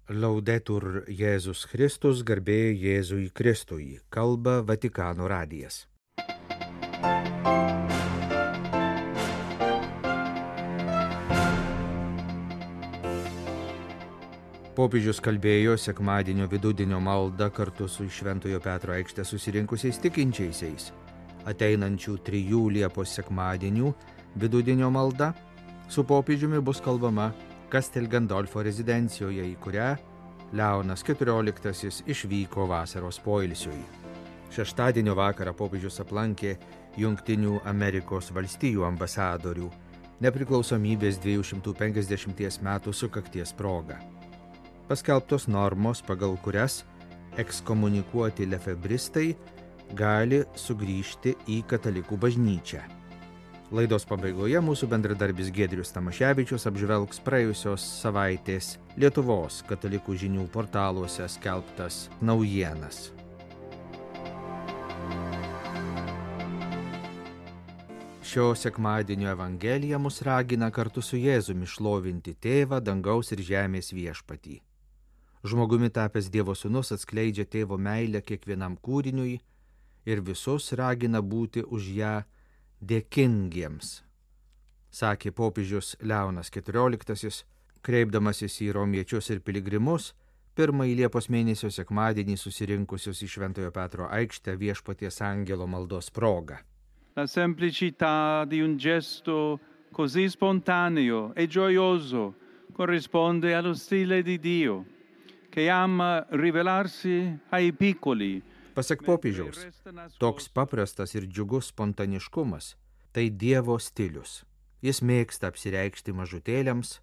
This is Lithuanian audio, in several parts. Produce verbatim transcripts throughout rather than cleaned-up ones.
Laudetur Jėzus Kristus, garbė Jėzui Kristui, kalba Vatikano radijas. Popiežius kalbėjo sekmadienio vidudienio maldą kartu su Šventojo Petro aikšte susirinkusiais tikinčiaisiais. Ateinančių trijų Liepos sekmadienių vidudienio malda su popiežiumi bus kalbama Castel Gandolfo rezidencijoje, į kurią Leonas keturioliktasis išvyko vasaros poilsiui. Šeštadienio vakarą popiežius aplankė Jungtinių Amerikos valstijų ambasadorių nepriklausomybės dviejų šimtų penkiasdešimties metų sukakties proga. Paskelbtos normos, pagal kurias ekskomunikuoti lefebristai gali sugrįžti į katalikų bažnyčią. Laidos pabaigoje mūsų bendradarbis Giedrius Tamaševičius apžvelgs praėjusios savaitės Lietuvos katalikų žinių portaluose skelbtas naujienas. Šio sekmadienio Evangelija mus ragina kartu su Jėzumi šlovinti Tėvą, dangaus ir žemės viešpatį. Žmogumi tapęs Dievo sūnus atskleidžia Tėvo meilę kiekvienam kūriniui ir visus ragina būti už ją dėkingiems, sakė popiežius Leonas keturioliktasis, kreipdamasis į romiečius ir piligrimus, pirmąjį Liepos mėnesio sekmadienį susirinkusius į Šventojo Petro aikštę Viešpaties angelo maldos proga. La semplicità di un gesto così spontaneo e gioioso corrisponde allo stile di Dio, che ama rivelarsi ai piccoli. Pasak popiežiaus, toks paprastas ir džiugus spontaniškumas – tai Dievo stilius. Jis mėgsta apsireikšti mažutėliams,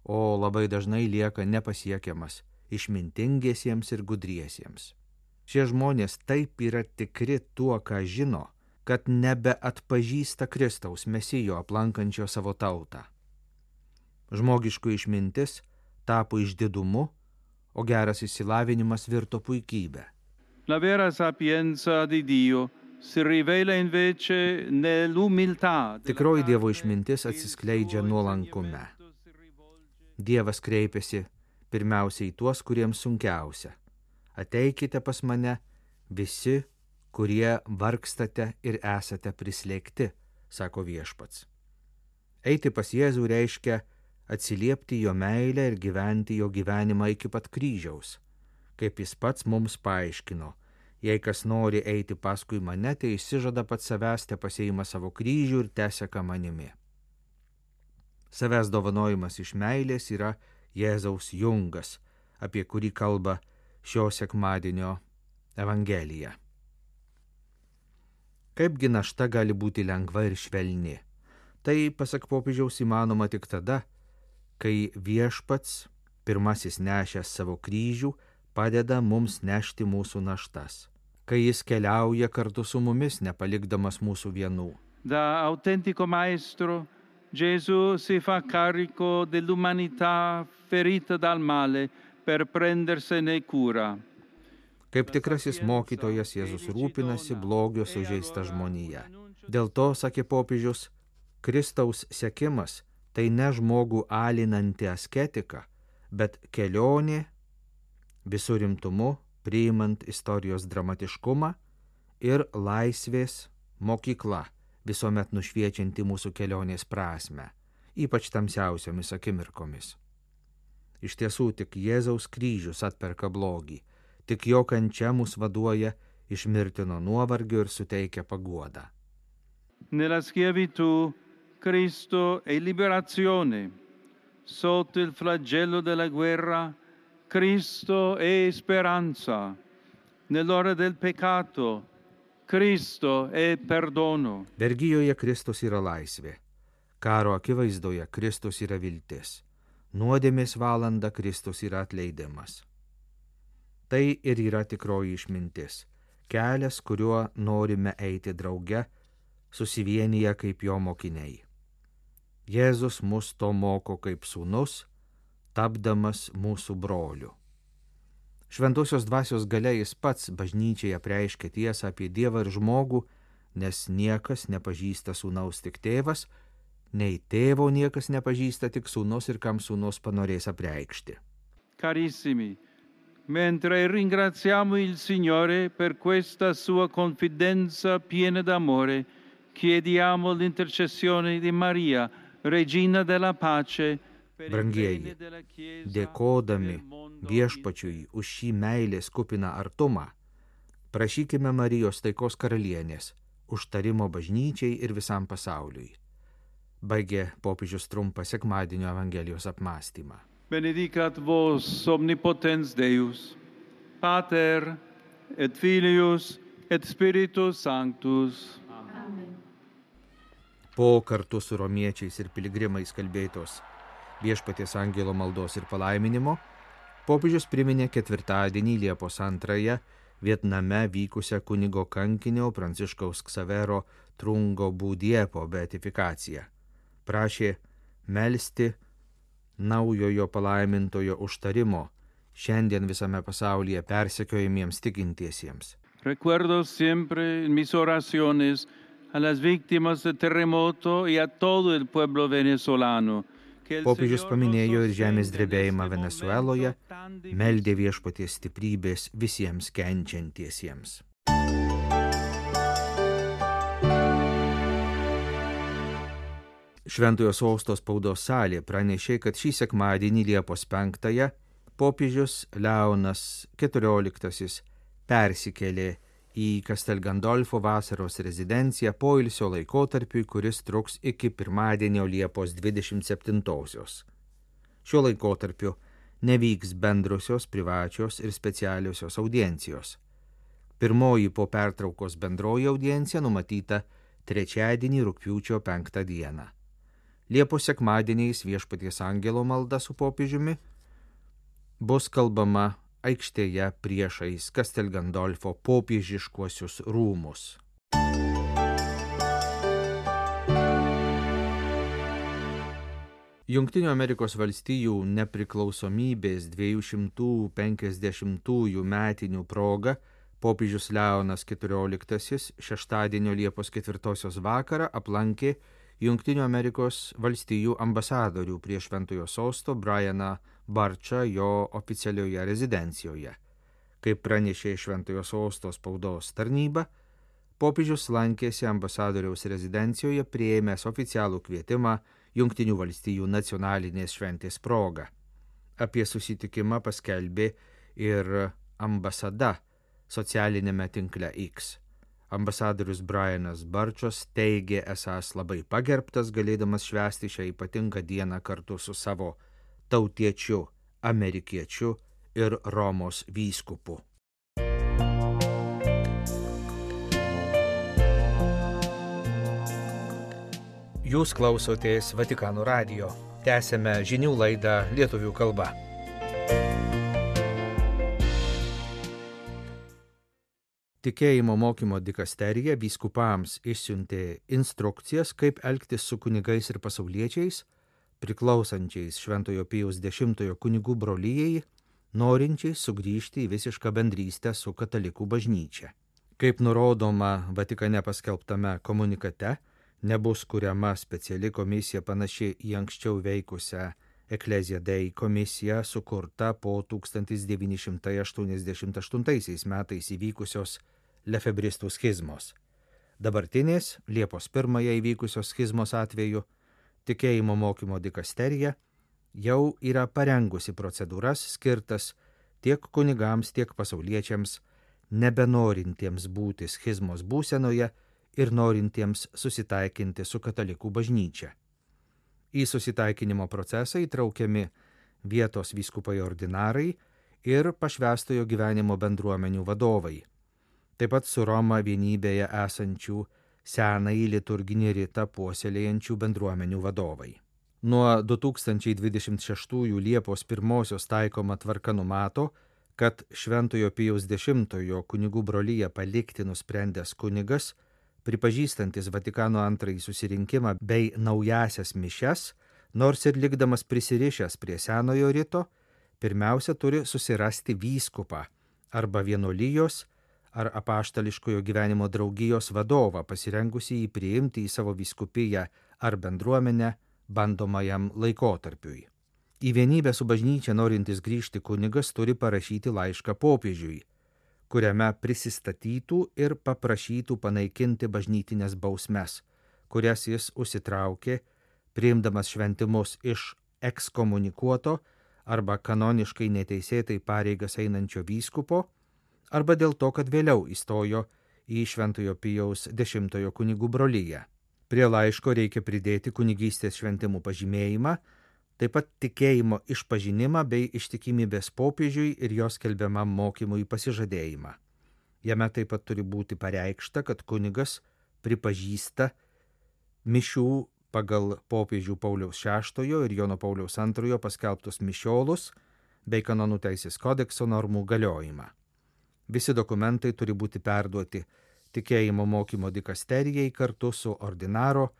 o labai dažnai lieka nepasiekiamas išmintingiesiems ir gudriesiems. Šie žmonės taip yra tikri tuo, ką žino, kad nebeatpažįsta Kristaus Mesijo aplankančio savo tautą. Žmogiškų išmintis tapo išdidumu, o geras išsilavinimas virto puikybę. La vera sapienza di Dio si rivela invece nell'umiltà. Tikroji Dievo išmintis atsiskleidžia nuolankume. Dievas kreipiasi pirmiausiai į tuos, kuriems sunkiausia. Ateikite pas mane visi, kurie vargstate ir esate prislėgti, sako viešpats. Eiti pas Jėzų reiškia atsiliepti jo meilę ir gyventi jo gyvenimą iki pat kryžiaus. Kaip jis pats mums paaiškino, jei kas nori eiti paskui mane, tai išsižada pats savęs, te pasiima savo kryžių ir teseka manimi. Savęs dovanojimas iš meilės yra Jėzaus jungas, apie kurį kalba šio sekmadienio Evangelija. Kaipgi našta gali būti lengva ir švelni? Tai, pasak popiežiaus, įmanoma tik tada, kai viešpats, pirmasis nešęs savo kryžių, padeda mums nešti mūsų naštas, kai jis keliauja kartu su mumis, nepalikdamas mūsų vienų. Da autentico maestro, Gesù si fa carico dell'umanità ferita dal male per prendersene cura. Kaip tikrasis mokytojas, Jėzus rūpinasi blogio sužeista žmonija. Dėl to, sakė popiežius, Kristaus sekimas tai ne žmogų alinanti asketika, bet kelionė visų rimtumu, priimant istorijos dramatiškumą ir laisvės mokykla, visuomet nušviečianti mūsų kelionės prasmę, ypač tamsiausiomis akimirkomis. Iš tiesų, tik Jėzaus kryžius atperka blogį, tik jo kančia mus vaduoja iš mirtino nuovargio ir suteikia paguodą. Nella schiavitù Cristo è liberazione. Sotto il flagello della guerra, Cristo è speranza. Nell'ora del peccato, Cristo è perdono. Vergijoje Kristus yra laisvė. Karo akivaizdoje Kristus yra viltis. Nuodėmės valanda Kristus yra atleidimas. Tai ir yra tikroji išmintis. Kelias, kuriuo norime eiti drauge, susivienyje kaip jo mokiniai. Jėzus mus to moko kaip sūnus, tapdamas mūsų broliu. Šventosios dvasios galia jis pats bažnyčiai apreiškia tiesą apie Dievą ir žmogų, nes niekas nepažįsta sūnaus tik tėvas, nei tėvo niekas nepažįsta tik sūnus ir kam sūnus panorės apreikšti. Carissimi, mentre ringraziamo il Signore per questa sua confidenza piena d'amore, chiediamo l'intercessione di Maria, Regina della Pace, per il Brangieji, bene della Chiesa, dėkodami per il mondo viešpačiui už šį meilės kupiną artumą, prašykime Marijos taikos karalienės, užtarimo bažnyčiai ir visam pasauliui. Baigė popiežius trumpą sekmadienio Evangelijos apmąstymą. Benedicat vos omnipotens Deus, Pater et Filius et Spiritus Sanctus. Po kartu su romiečiais ir piligrimais kalbėtos viešpaties angelo maldos ir palaiminimo, popiežius priminė ketvirtadienį Liepos antrąją Vietname vykusią kunigo kankinio Pranciškaus Ksavero Trungo Būdiepo beatifikaciją. Prašė melsti naujojo palaimintojo užtarimo šiandien visame pasaulyje persekiojamiems tikintiesiems. Recuerdo siempre en mis oraciones a las víctimas del terremoto y a todo el pueblo venezolano. Popiežius paminėjo ir žemės drebėjimą Venesueloje, meldė viešpaties stiprybės visiems kenčiantiesiems. Šventojo sosto spaudos salė pranešė, kad šį sekmadienį Liepos penktąją popiežius Leonas keturioliktasis persikėlė į Castel Gandolfo vasaros rezidenciją poilsio laikotarpiui, kuris truks iki pirmadienio Liepos dvidešimt septintosios. Šiuo laikotarpiu nevyks bendrosios, privačios ir specialiosios audiencijos. Pirmoji po pertraukos bendroji audiencija numatyta trečiadienį rugpjūčio penktą dieną. Liepos sekmadieniais viešpaties angelo malda su popiežiumi bus kalbama aikštėje priešais Castel Gandolfo popiežiškuosius rūmus. Jungtinių Amerikos valstijų nepriklausomybės dviejų šimtų penkiasdešimtųjų metinių proga popiežius Leonas keturioliktasis šeštadienio Liepos ketvirtosios vakarą aplankė Jungtinių Amerikos valstijų ambasadorių prie Šventojo sosto Brianą Barčą jo oficialioje rezidencijoje. Kaip pranešė Šventojo sosto spaudos tarnyba, popiežius lankėsi ambasadoriaus rezidencijoje priėmęs oficialų kvietimą Jungtinių valstijų nacionalinės šventės proga. Apie susitikimą paskelbė ir ambasada socialinėme tinkle X. Ambasadorius Brianas Barčas teigė esąs labai pagerbtas, galėdamas švęsti šią ypatingą dieną kartu su savo tautiečiu, amerikiečiu ir Romos vyskupu. Jūs klausotės Vatikano radijo. Tęsėme žinių laidą lietuvių kalba. Tikėjimo mokymo dikasterija vyskupams išsiuntė instrukcijas, kaip elgtis su kunigais ir pasauliečiais, priklausančiais Šventojo Pijaus dešimtojo kunigų brolijai, norinčiais sugrįžti į visišką bendrystę su katalikų bažnyčia. Kaip nurodoma Vatikane paskelbtame komunikate, nebus kuriama speciali komisija panaši į anksčiau veikusią Ecclesia Dei komisiją sukurta po tūkstantis devyni šimtai aštuoniasdešimt aštuntaisiais metais įvykusios lefebristų schizmos. Dabartinės Liepos pirmąją įvykusios schizmos atveju tikėjimo mokymo dikasterija jau yra parengusi procedūras skirtas tiek kunigams, tiek pasauliečiams, nebenorintiems būti schizmos būsenoje ir norintiems susitaikinti su katalikų bažnyčia. Į susitaikinimo procesą įtraukiami vietos vyskupai ordinarai ir pašvęstojo gyvenimo bendruomenių vadovai, taip pat su Roma vienybėje esančių senąjį liturginį ritą puoselėjančių bendruomenių vadovai. Nuo du tūkstančiai dvidešimt šeštųjų Liepos pirmosios taikoma tvarka numato, kad Šventojo Pijaus dešimtojo kunigų broliją palikti nusprendęs kunigas, pripažįstantis Vatikano antrąjį susirinkimą bei naujasias mišias, nors ir likdamas prisirišęs prie senojo rito, pirmiausia turi susirasti vyskupą arba vienuolijos ar apaštališkojo gyvenimo draugijos vadovą, pasirengusį jį priimti į savo vyskupiją ar bendruomenę bandomajam laikotarpiui. Į vienybę su bažnyčia norintis grįžti kunigas turi parašyti laišką popiežiui, kuriame prisistatytų ir paprašytų panaikinti bažnytinės bausmes, kurias jis užsitraukė, priimdamas šventimus iš ekskomunikuoto arba kanoniškai neteisėtai pareigas einančio vyskupo, arba dėl to, kad vėliau įstojo į Šventojo Pijaus dešimtojo kunigų broliją. Prie laiško reikia pridėti kunigystės šventimų pažymėjimą, taip pat tikėjimo išpažinimą bei ištikimybės popiežiui ir jos skelbiamam mokymui pasižadėjimą. Jame taip pat turi būti pareikšta, kad kunigas pripažįsta mišių pagal popiežių Pauliaus šeštojo ir Jono Pauliaus antrojo paskelbtus mišiolus bei kanonų teisės kodekso normų galiojimą. Visi dokumentai turi būti perduoti tikėjimo mokymo dikasterijai kartu su ordinaro,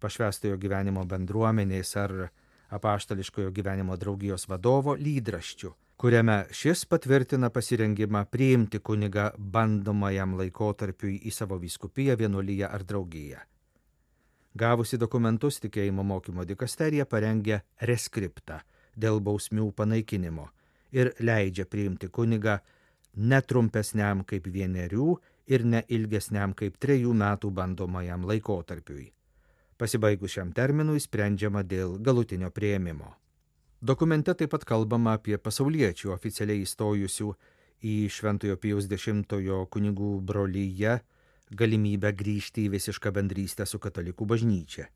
pašvęstojo gyvenimo bendruomenės ar apaštališkojo gyvenimo draugijos vadovo lydraščiu, kuriame šis patvirtina pasirengimą priimti kunigą bandomajam laikotarpiui į savo vyskupiją, vienuoliją ar draugiją. Gavusi dokumentus, tikėjimo mokymo dikasterija parengia reskriptą dėl bausmių panaikinimo ir leidžia priimti kunigą netrumpesniam kaip vienerių ir neilgesniam kaip trejų metų bandomajam laikotarpiui. Pasibaigus šiam terminui sprendžiama dėl galutinio priėmimo. Dokumente taip pat kalbama apie pasauliečių oficialiai įstojusių į Šventojo Pijaus dešimtojo kunigų brolyje galimybę grįžti į visišką bendrystę su katalikų bažnyčia.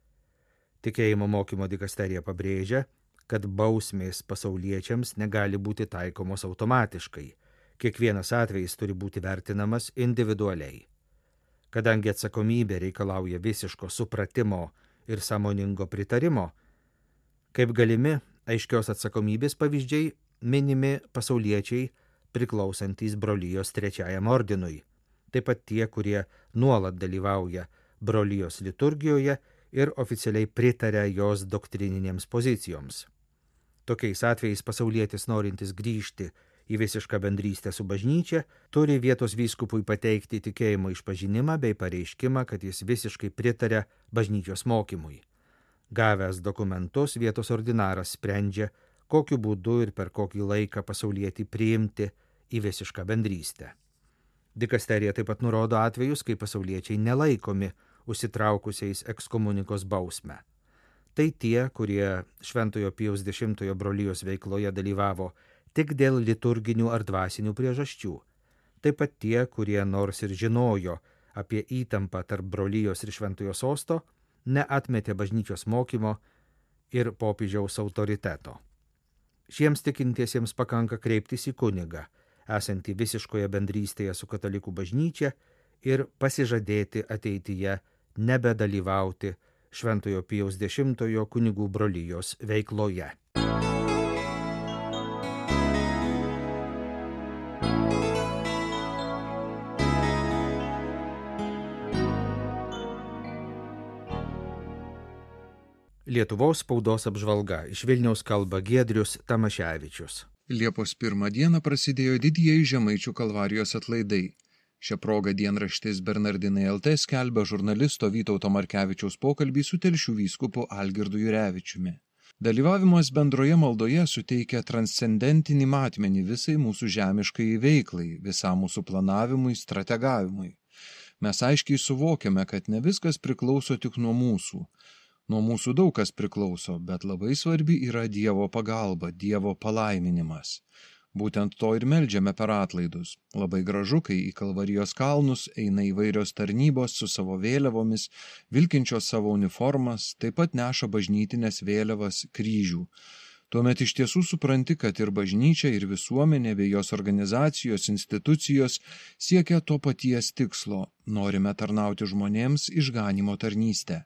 Tikėjimo mokymo dikasterija pabrėžia, kad bausmės pasauliečiams negali būti taikomos automatiškai. Kiekvienas atvejis turi būti vertinamas individualiai. Kadangi atsakomybė reikalauja visiško supratimo ir sąmoningo pritarimo, kaip galimi aiškios atsakomybės pavyzdžiai minimi pasauliečiai priklausantys brolijos trečiajam ordinui, taip pat tie, kurie nuolat dalyvauja brolijos liturgijoje ir oficialiai pritaria jos doktrininėms pozicijoms. Tokiais atvejais pasaulietis norintis grįžti į visišką bendrystę su bažnyčia turi vietos vyskupui pateikti tikėjimo išpažinimą bei pareiškimą, kad jis visiškai pritaria bažnyčios mokymui. Gavęs dokumentus, vietos ordinaras sprendžia, kokiu būdu ir per kokį laiką pasaulietį priimti į visišką bendrystę. Dikasterija taip pat nurodo atvejus, kai pasauliečiai nelaikomi užsitraukusiais ekskomunikos bausmę. Tai tie, kurie Šventojo Pijaus dešimtojo brolijos veikloje dalyvavo tik dėl liturginių ar dvasinių priežasčių. Taip pat tie, kurie nors ir žinojo apie įtampą tarp brolijos ir Šventojo sosto, neatmetė bažnyčios mokymo ir popiežiaus autoriteto. Šiems tikintiesiems pakanka kreiptis į kunigą, esantį visiškoje bendrystėje su katalikų bažnyčia, ir pasižadėti ateityje nebedalyvauti Šventojo Pijaus dešimtojo kunigų brolijos veikloje. Lietuvos spaudos apžvalga. Iš Vilniaus kalba Giedrius Tamaševičius. Liepos pirmą dieną prasidėjo didieji Žemaičių Kalvarijos atlaidai. Šią progą dienraštis Bernardinai L T skelbia žurnalisto Vytauto Markevičiaus pokalbį su Telšių vyskupu Algirdu Jurevičiumi. Dalyvavimas bendroje maldoje suteikia transcendentinį matmenį visai mūsų žemiškai veiklai, visam mūsų planavimui, strategavimui. Mes aiškiai suvokiame, kad ne viskas priklauso tik nuo mūsų. Nuo mūsų daug kas priklauso, bet labai svarbi yra Dievo pagalba, Dievo palaiminimas. Būtent to ir meldžiame per atlaidus. Labai gražu, kai į Kalvarijos kalnus eina įvairios tarnybos su savo vėliavomis, vilkinčios savo uniformas, taip pat neša bažnytinės vėliavas, kryžių. Tuomet iš tiesų supranti, kad ir bažnyčia, ir visuomenė bei jos organizacijos, institucijos siekia to paties tikslo. Norime tarnauti žmonėms išganymo tarnystę.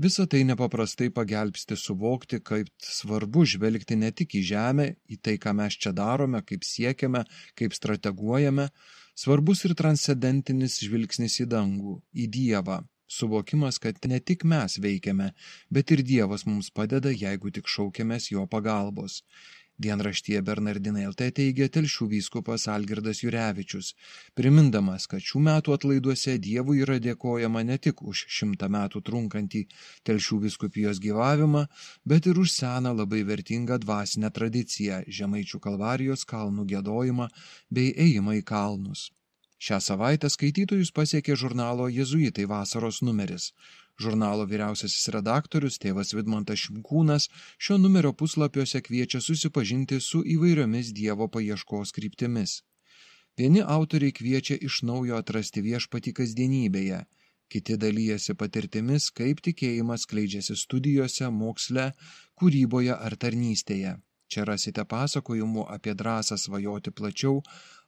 Visa tai nepaprastai pagelbsti suvokti, kaip svarbu žvelgti ne tik į žemę, į tai, ką mes čia darome, kaip siekiame, kaip strateguojame, svarbus ir transcendentinis žvilgsnis į dangų, į Dievą, suvokimas, kad ne tik mes veikiame, bet ir Dievas mums padeda, jeigu tik šaukiamės jo pagalbos. Dienraštyje Bernardinai L T teigia Telšių vyskupas Algirdas Jurevičius, primindamas, kad šių metų atlaiduose Dievui yra dėkojama ne tik už šimtą metų trunkantį Telšių vyskupijos gyvavimą, bet ir už seną labai vertingą dvasinę tradiciją, Žemaičių Kalvarijos kalnų giedojimą bei ėjimą į kalnus. Šią savaitę skaitytojus pasiekė žurnalo Jėzuitai vasaros numeris. Žurnalo vyriausiasis redaktorius tėvas Vidmantas Šimkūnas šio numerio puslapiuose kviečia susipažinti su įvairiomis Dievo paieškos kryptimis. Vieni autoriai kviečia iš naujo atrasti viešpatį kasdienybėje, kiti dalyjasi patirtimis, kaip tikėjimas skleidžiasi studijose, moksle, kūryboje ar tarnystėje. Čia rasite pasakojimų apie drąsą svajoti plačiau,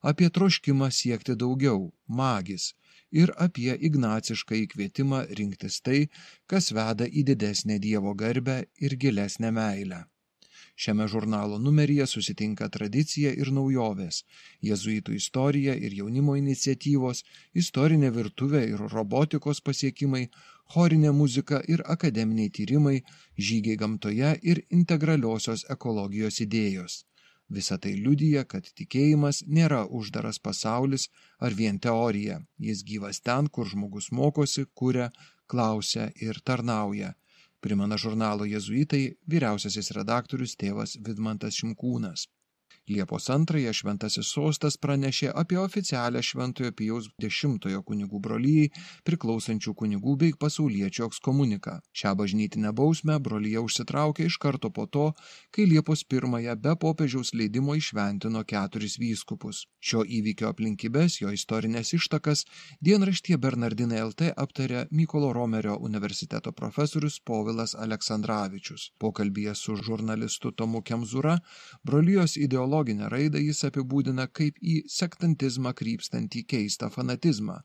apie troškimą siekti daugiau, magis, ir apie ignacišką įkvietimą rinktis tai, kas veda į didesnę Dievo garbę ir gilesnę meilę. Šiame žurnalo numeryje susitinka tradicija ir naujovės, jėzuitų istorija ir jaunimo iniciatyvos, istorinė virtuvė ir robotikos pasiekimai, chorinė muzika ir akademiniai tyrimai, žygiai gamtoje ir integraliosios ekologijos idėjos. Visa tai liudija, kad tikėjimas nėra uždaras pasaulis ar vien teorija. Jis gyvas ten, kur žmogus mokosi, kuria, klausia ir tarnauja. Primena žurnalo Jėzuitai vyriausiasis redaktorius tėvas Vidmantas Šimkūnas. Liepos antrąją Šventasis Sostas pranešė apie oficialią Šventojo Pijaus dešimtojo kunigų brolijai priklausančių kunigų bei pasauliečių ekskomuniką. Šią bažnytinę bausmę brolija užsitraukė iš karto po to, kai Liepos pirmąją be popiežiaus leidimo įšventino keturis vyskupus. Šio įvykio aplinkybes, jo istorinės ištakas dienraštyje Bernardinai L T aptarė Mykolo Romerio universiteto profesorius Povilas Aleksandravičius. Pokalbyje su žurnalistu Tomu Kemzūra brolijos ideologijos Loginę raidą jis apibūdina kaip į sektantizmą krypstantį keistą fanatizmą,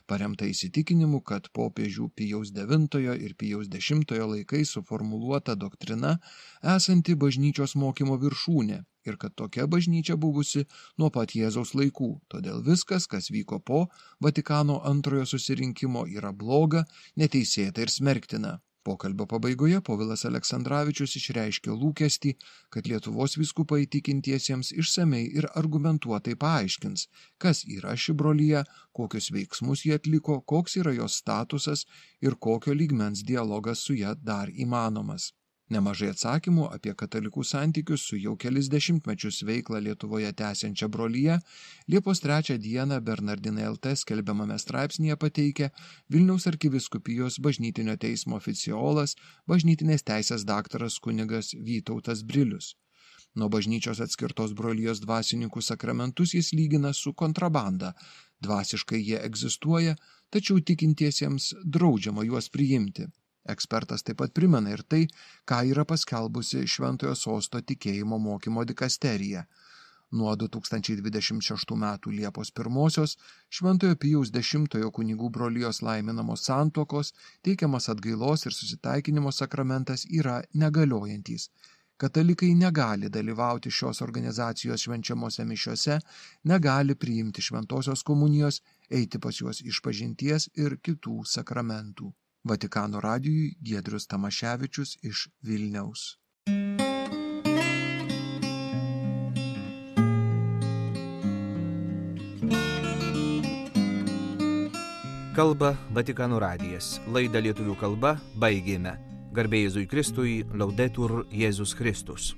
paremtą įsitikinimu, kad popiežių Pijaus devintojo ir Pijaus dešimtojo laikais suformuluota doktrina esanti bažnyčios mokymo viršūnė ir kad tokia bažnyčia buvusi nuo pat Jėzaus laikų. Todėl viskas, kas vyko po Vatikano antrojo susirinkimo, yra bloga, neteisėta ir smerktina. Pokalbio pabaigoje Povilas Aleksandravičius išreiškė lūkestį, kad Lietuvos vyskupai tikintiesiems išsamei ir argumentuotai paaiškins, kas yra ši brolija, kokius veiksmus jie atliko, koks yra jos statusas ir kokio lygmens dialogas su ja dar įmanomas. Nemažai atsakymų apie katalikų santykius su jau kelis dešimtmečius veiklą Lietuvoje tęsiančia brolija Liepos trečią dieną Bernardinai L T skelbiamame straipsnyje pateikia Vilniaus arkivyskupijos bažnytinio teismo oficiolas, bažnytinės teisės daktaras kunigas Vytautas Brilius. Nuo bažnyčios atskirtos brolijos dvasininkų sakramentus jis lygina su kontrabanda. Dvasiškai jie egzistuoja, tačiau tikintiesiems draudžiama juos priimti. Ekspertas taip pat primena ir tai, ką yra paskelbusi Šventojo Sosto tikėjimo mokymo dikasterija. Nuo du tūkstančiai dvidešimt šeštų metų Liepos pirmosios Šventojo Pijaus dešimtojo kunigų brolijos laiminamos santuokos, teikiamas atgailos ir susitaikinimo sakramentas yra negaliojantys. Katalikai negali dalyvauti šios organizacijos švenčiamose mišiose, negali priimti šventosios komunijos, eiti pas juos išpažinties ir kitų sakramentų. Vatikano radijui Giedrius Tamaševičius iš Vilniaus. Kalba Vatikano radijas. Laidą lietuvių kalba baigėme. Garbė Jėzui Kristui, Laudetur Jėzus Kristus.